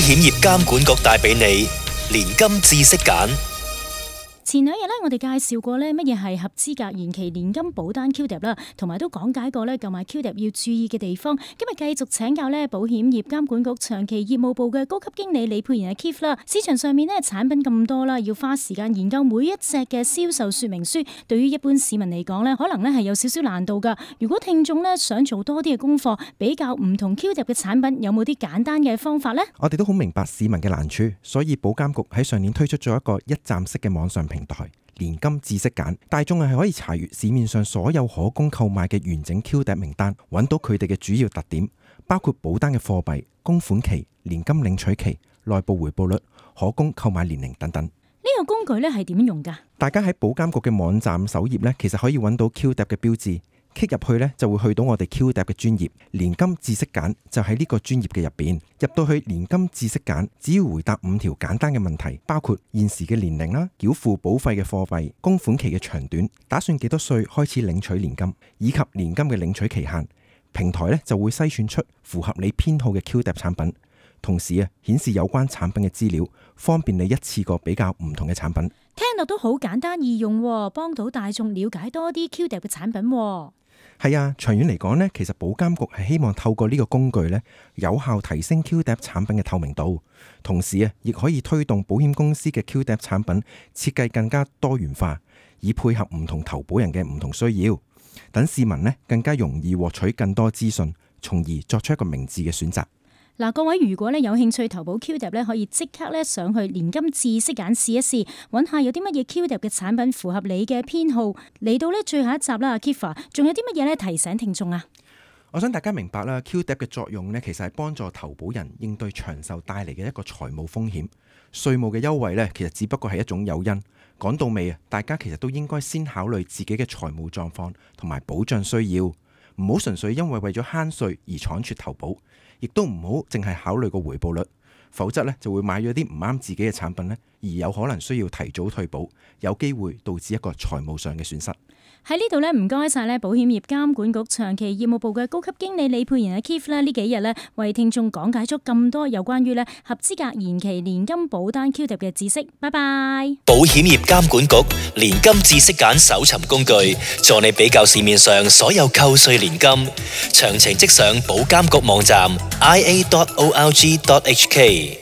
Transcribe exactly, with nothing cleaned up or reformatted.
險業監管局帶俾你年金知識揀。前兩日咧，我哋介紹過咧乜嘢係合資格延期年金保單 Q D A P 啦，同埋都講解過咧購買 Q D A P 要注意嘅地方。今日繼續請教咧保險業監管局長期業務部嘅高級經理李沛然阿 Keith 啦。市場上面咧產品咁多啦，要花時間研究每一隻嘅銷售說明書，對於一般市民嚟講咧，可能咧係有少少難度噶。如果聽眾咧想做多啲嘅功課，比較唔同 Q D A P 嘅產品，有冇啲簡單嘅方法呢？我哋都好明白市民嘅難處，所以保監局喺上年推出咗一個一站式嘅網上平台。年金知識揀，大眾係可以查閱市面上所有可供購買嘅完整 Q D A P 名單，揾到佢哋嘅主要特點，包括保單嘅貨幣、供款期、年金領取期、內部回報率、可供購買年齡等等。呢個工具咧係點用㗎？大家喺保監局嘅網站首頁咧，其實可以揾到 Q D A P 嘅標誌。Click 入去咧，就會去到我哋 Q D A P 嘅專頁，年金知識揀就喺呢個專頁嘅入邊。入到去年金知識揀，只要回答五條簡單嘅問題，包括現時嘅年齡啦、繳付保費嘅貨幣、供款期嘅長短、打算幾多歲開始領取年金，以及年金嘅領取期限。平台咧就會篩選出符合你偏好嘅 Q D A P 產品，同時啊顯示有關產品嘅資料，方便你一次過比較唔同嘅產品。聽落都好簡單易用，幫到大眾了解多啲 Q D A P 嘅產品。係啊，長遠嚟講呢，其實保監局係希望透過呢個工具呢，有效提升 Q D A P 產品嘅透明度，同時啊，亦可以推動保險公司嘅 Q D A P 產品設計更加多元化，以配合唔同投保人嘅唔同需要，等市民呢更加容易獲取更多資訊，從而作出一個明智嘅選擇。嗱，各位如果咧有興趣投保 Q D A P 咧，可以即刻咧上去年金知識揀試一試，揾下有啲乜嘢 Q D A P 嘅產品符合你嘅偏好。嚟到咧最後一集啦，阿 Keith，仲有啲乜嘢咧提醒聽眾啊？我想大家明白啦 ，Q D A P 嘅作用呢，其實係幫助投保人應對長壽帶嚟嘅一個財務風險。稅務嘅優惠呢，其實只不過係一種誘因。講到尾啊，大家其實都應該先考慮自己嘅財務狀況同埋保障需要，唔好純粹因為為咗慳稅而倉促投保。亦都唔好淨係考慮個回報率，否則咧就會買咗啲唔啱自己嘅產品咧，而有可能需要提早退保，有機會導致一個財務上嘅損失。喺呢度咧，唔該晒咧，保險業監管局長期業務部嘅高級經理李沛然阿 Keith 咧，呢幾日咧為聽眾講解咗咁多有關於咧合資格延期年金保單 Q D A P 嘅知識。拜拜。保險業監管局年金知識揀搜尋工具，助你比較市面上所有扣稅年金，詳情即上保監局網站 i a dot org dot h k。